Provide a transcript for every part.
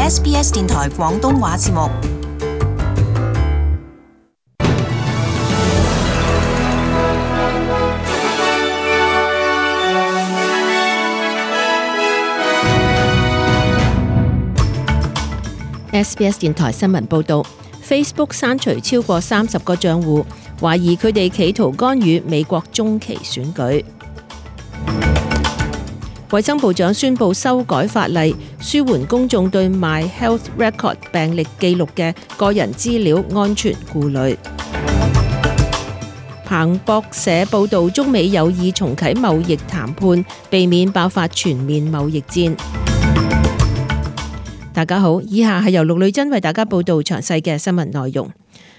SBS 電台廣東話節目。SBS 電台新聞報導 ，Facebook 刪除超過30個賬戶，懷疑佢哋企圖干預美國中期選舉。衛生部長宣布修改法例，舒緩公眾對 My Health Record 病歷記錄嘅個人資料安全顧慮。彭博社報導，中美有意重啟貿易談判，避免爆發全面貿易戰。大家好，以下係由陸女珍為大家報道詳細嘅新聞內容。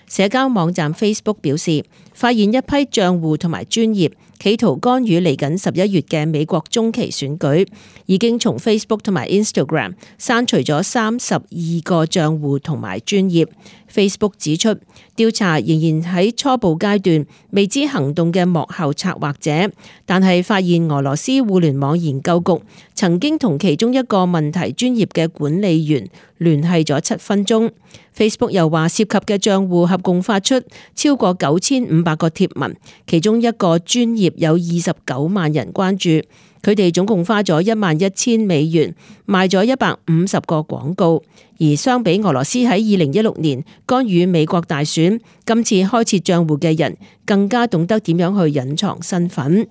社交網站 Facebook 表示，發現一批賬戶同埋專頁企圖干預嚟緊11月嘅美國中期選舉，已經從 Facebook 同埋 Instagram 刪除咗32個賬戶同埋專頁。Facebook 指出，調查仍然喺初步階段，未知行動嘅幕後策劃者，但係發現俄羅斯互聯網研究局曾經同其中一個問題專頁嘅管理員聯繫咗7分鐘。Facebook 又話，涉及嘅賬戶合共發出超過9500個貼文，其中一個專頁有29萬人關注，佢哋總共花咗11000美元賣咗150個廣告。而相比俄羅斯喺2016年干預美國大選，今次開設賬戶嘅人更加懂得點樣去隱藏身份。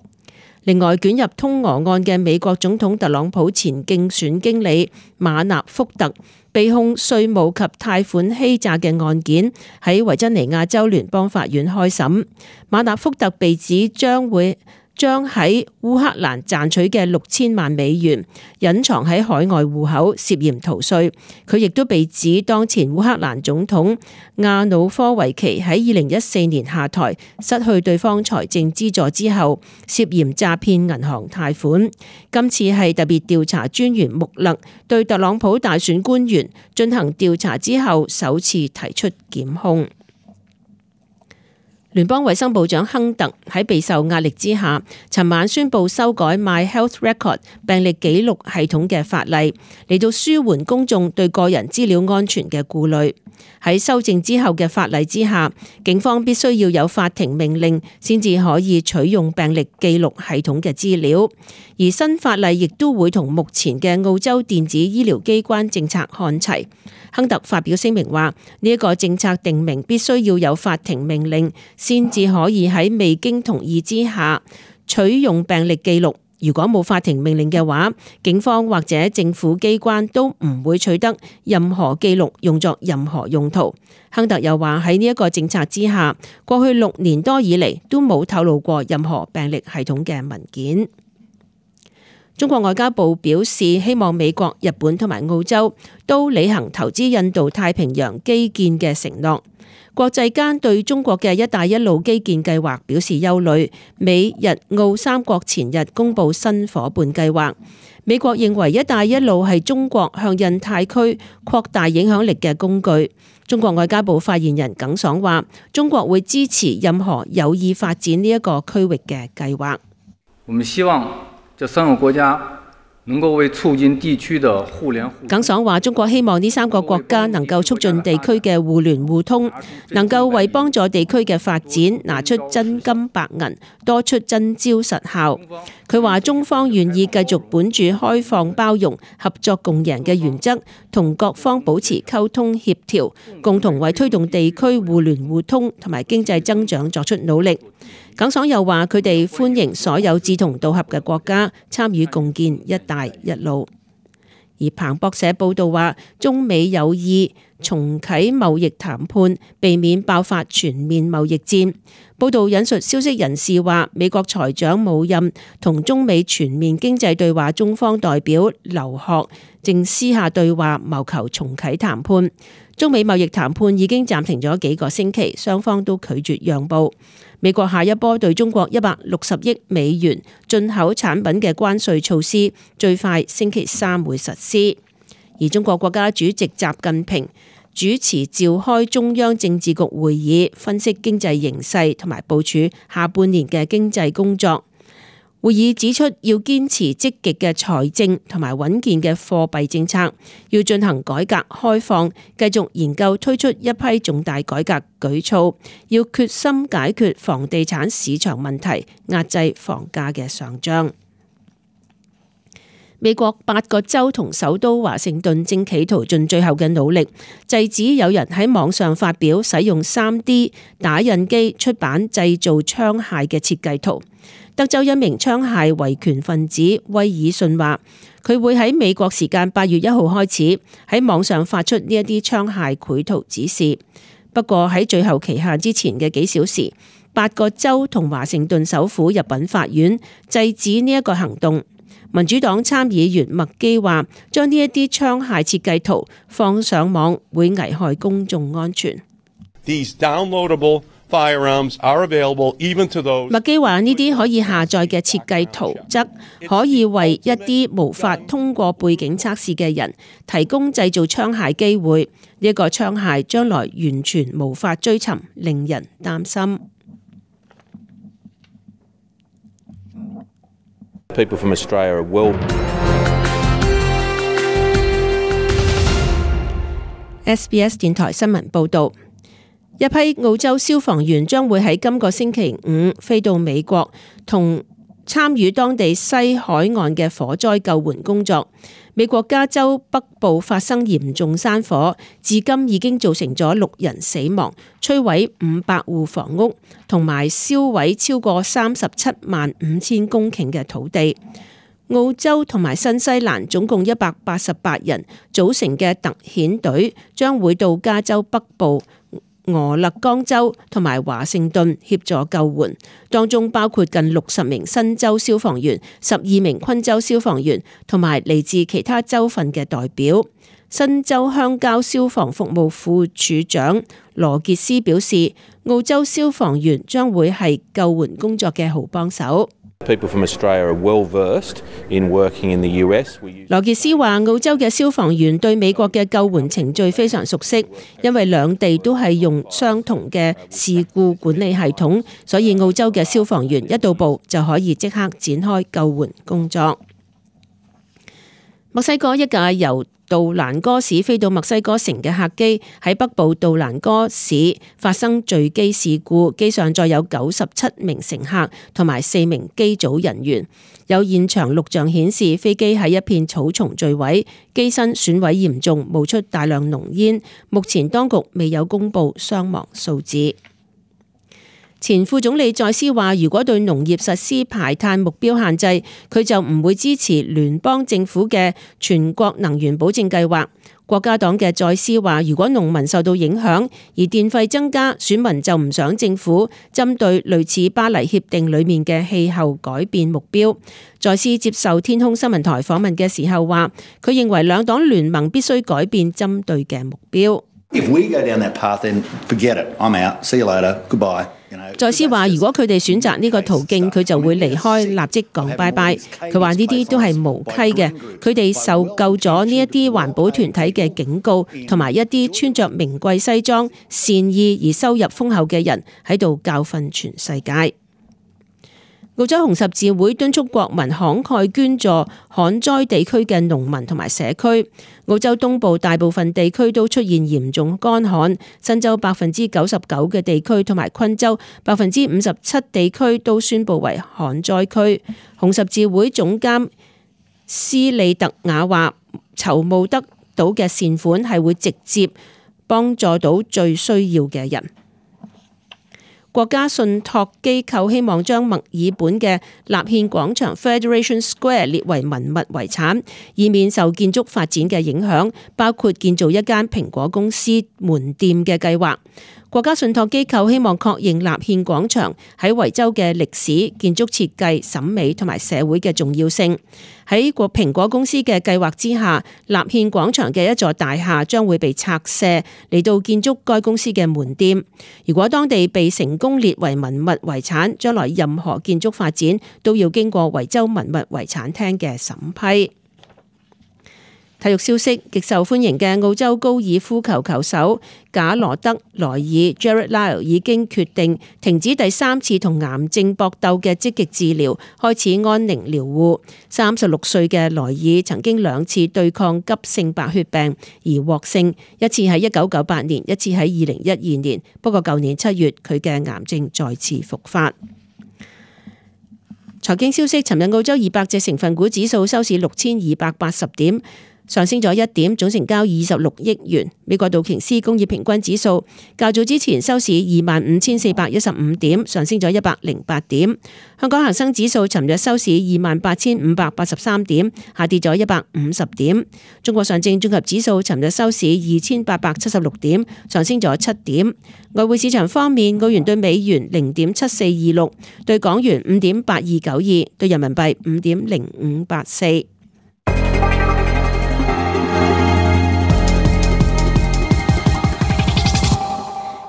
另外，捲入通俄案嘅美國總統特朗普前競選經理馬納福特被控稅務及貸款欺詐嘅案件喺維珍尼亞州聯邦法院開審。馬納福特被指將喺烏克蘭賺取嘅6000萬美元隱藏喺海外戶口，涉嫌逃稅。佢亦都被指當前烏克蘭總統亞努科維奇喺2014年下台，失去對方財政資助之後，涉嫌詐騙銀行貸款。今次係特別調查專員穆勒對特朗普大選官員進行調查之後，首次提出檢控。聯邦衛生部長亨特喺備受壓力之下，尋晚宣布修改 My Health Record 病歷記錄系統嘅法例，嚟到舒緩公眾對個人資料安全嘅顧慮。喺修正之後嘅法例之下，警方必須要有法庭命令先至可以取用病歷記錄系統嘅資料。而新法例亦都會同目前嘅澳洲電子醫療機關政策看齊。亨特發表聲明話，呢一個政策定明必須要有法庭命令先至可以喺未經同意之下取用病歷記錄。如果冇法庭命令嘅話，警方或者政府機關都唔會取得任何記錄用作任何用途。亨特又話，喺呢一個政策之下，過去6年多以嚟都冇透露過任何病歷系統嘅文件。中國外交部表示，希望美國、日本同埋澳洲都履行投資印度太平洋基建嘅承諾。國際間對中國嘅一帶一路基建計劃表示憂慮。美日澳三國前日公布新夥伴計劃。美國認為一帶一路係中國向印太區擴大影響力嘅工具。中國外交部發言人耿爽話，中國會支持任何有意發展呢一個區域嘅計劃。我們希望這3個國家能夠為促進地區的互聯互通。耿爽話，中國希望呢3個國家能夠促進地區嘅互聯互通，能夠為幫助地區嘅發展拿出真金白銀，多出真招實效。佢話中方願意繼續本住開放包容、合作共贏嘅原則，同各方保持溝通協調，共同為推動地區互聯互通同埋經濟增長作出努力。耿爽又話，佢哋歡迎所有志同道合嘅國家參與共建一帶一路。而彭博社報道話，中美有意重啟貿易談判，避免爆發全面貿易戰。報道引述消息人士話，美國財長姆欽同中美全面經濟對話中方代表劉鶴正私下對話，謀求重啟談判。中美貿易談判已經暫停咗幾個星期，雙方都拒絕讓步。美國下一波對中國160億美元進口產品嘅關稅措施，最快星期3會實施。而中國國家主席習近平主持召開中央政治局會議，分析經濟形勢同埋部署下半年嘅經濟工作。會議指出，要堅持積極嘅財政同埋穩健嘅貨幣政策，要進行改革開放，繼續研究推出一批重大改革舉措，要決心解決房地產市場問題，壓制房價嘅上漲。美國8個州同首都華盛頓正企圖盡最後嘅努力，制止有人喺網上發表使用 3D 打印機出版製造槍械嘅設計圖。德州一名槍械維權分子威爾遜話，佢會喺美國時間8月1號開始喺網上發出呢一啲槍械繪圖指示。不過喺最後期限之前嘅幾小時，8個州同華盛頓首府入稟法院制止呢一個行動。民主黨參議員麥基話，將呢一啲槍械設計圖放上網會危害公眾安全。These downloadable firearms are available even to those。麥基話呢啲可以下載嘅設計圖則可以為一啲無法通過背景測試嘅人提供製造槍械機會。呢一個槍械將來完全無法追尋，令人擔心。People from Australia will. SBS 電台新聞報導，一批澳洲消防員將會喺今個星期五飛到美國，同參與當地西海岸嘅火災救援工作。美國加州北部發生嚴重山火，至今已經造成咗6人死亡，摧毀500戶房屋，同埋燒毀超過375000公頃嘅土地。澳洲同埋新西蘭總共188人組成嘅特遣隊將會到加州北部、俄勒岡州同埋華盛頓協助救援，當中包括近60名新州消防員、12名昆州消防員同埋嚟自其他州份嘅代表。新州鄉郊消防服務副處長羅傑斯表示，澳洲消防員將會係救援工作嘅好幫手。People from Australia are well versed in working in the US. 羅傑斯話，澳洲嘅消防員對美國嘅救援程序非常熟悉，因為兩地都係用相同嘅事故管理系統，所以澳洲嘅消防員一到埗就可以即刻展開救援工作。墨西哥一架由杜蘭戈市飛到墨西哥城嘅客機喺北部杜蘭戈市發生墜機事故，機上載有97名乘客同埋4名機組人員。有現場錄像顯示，飛機喺一片草叢墜毀，機身損毀嚴重，冒出大量濃煙。目前當局未有公布傷亡數字。前副總理在斯話，如果對農業實施排碳目標限制，佢就唔會支持聯邦政府嘅全國能源保證計劃。國家黨嘅在斯話，如果農民受到影響而電費增加，選民就唔想政府針對類似巴黎協定裡面嘅氣候改變目標。在斯接受天空新聞台訪問嘅時候話，佢認為兩黨聯盟必須改變針對嘅目標。If we go down that path, then forget it. I'm out. See you later. Goodbye. 在斯話，如果佢哋選擇呢個途徑，佢就會離開，立即講拜拜。佢話呢啲都係無稽嘅，佢哋受夠咗呢一啲環保團體嘅警告，同埋一啲穿着名貴西裝、善意而收入豐厚嘅人喺度教訓全世界。澳洲紅十字會敦促國民慷慨捐助旱災地區嘅農民同埋社區。澳洲東部大部分地區都出現嚴重乾旱，新州99%嘅地區同埋昆州57%地區都宣布為旱災區。紅十字會總監斯利特雅話，籌募得到嘅善款係會直接幫助到最需要嘅人。國家信託機構希望將墨爾本嘅立憲廣場 Federation Square 列為文物遺產，以免受建築發展嘅影響，包括建造一間蘋果公司門店嘅計劃。國家信託機構希望確認立憲廣場喺維州嘅歷史、建築設計、審美同埋社會嘅重要性。喺蘋果公司嘅計劃之下，立憲廣場嘅一座大廈將會被拆卸嚟到建築該公司嘅門店。如果當地被成功列為文物遺產，將來任何建築發展都要經過維州文物遺產廳嘅審批。體育消息，極受歡迎嘅澳洲高爾夫球球手賈羅德萊爾 Jared Lyle 已經決定停止第3次同癌症搏鬥嘅積極治療，開始安寧療護。36歲嘅萊爾曾經2次對抗急性白血病而獲勝，一次喺1998年，一次喺2012年。不過舊年7月佢嘅癌症再次復發。財經消息，尋日澳洲200隻成分股指數收市6280點，上升咗1點，總成交26億元。美國道瓊斯工業平均指數較早之前收市25,415點，上升咗108點。香港恒生指數尋日收市28,583點，下跌咗150點。中國上證綜合指數尋日收市2,876點，上升咗7點。外匯市場方面，澳元對美元0.7426，對港元5.8292，對人民幣5.0584。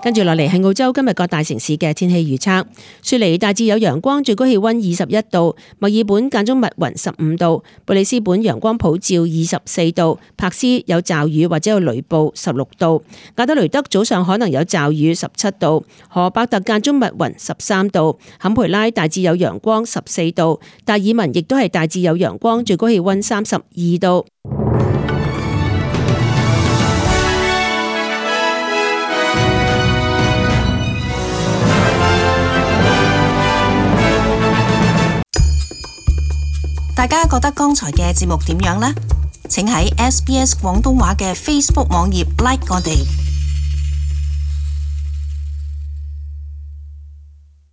跟住落嚟係澳洲今日各大城市嘅天氣預測。雪梨大致有陽光，最高氣溫21度；墨爾本間中密雲15度；布里斯本陽光普照24度；柏斯有驟雨或者有雷暴16度；亞德雷德早上可能有驟雨17度；荷伯特間中密雲13度；坎培拉大致有陽光14度；達爾文亦都係大致有陽光，最高氣溫32度。大家覺得剛才嘅節目點樣呢？請喺SBS 廣東話嘅 Facebook 網頁 like 我哋。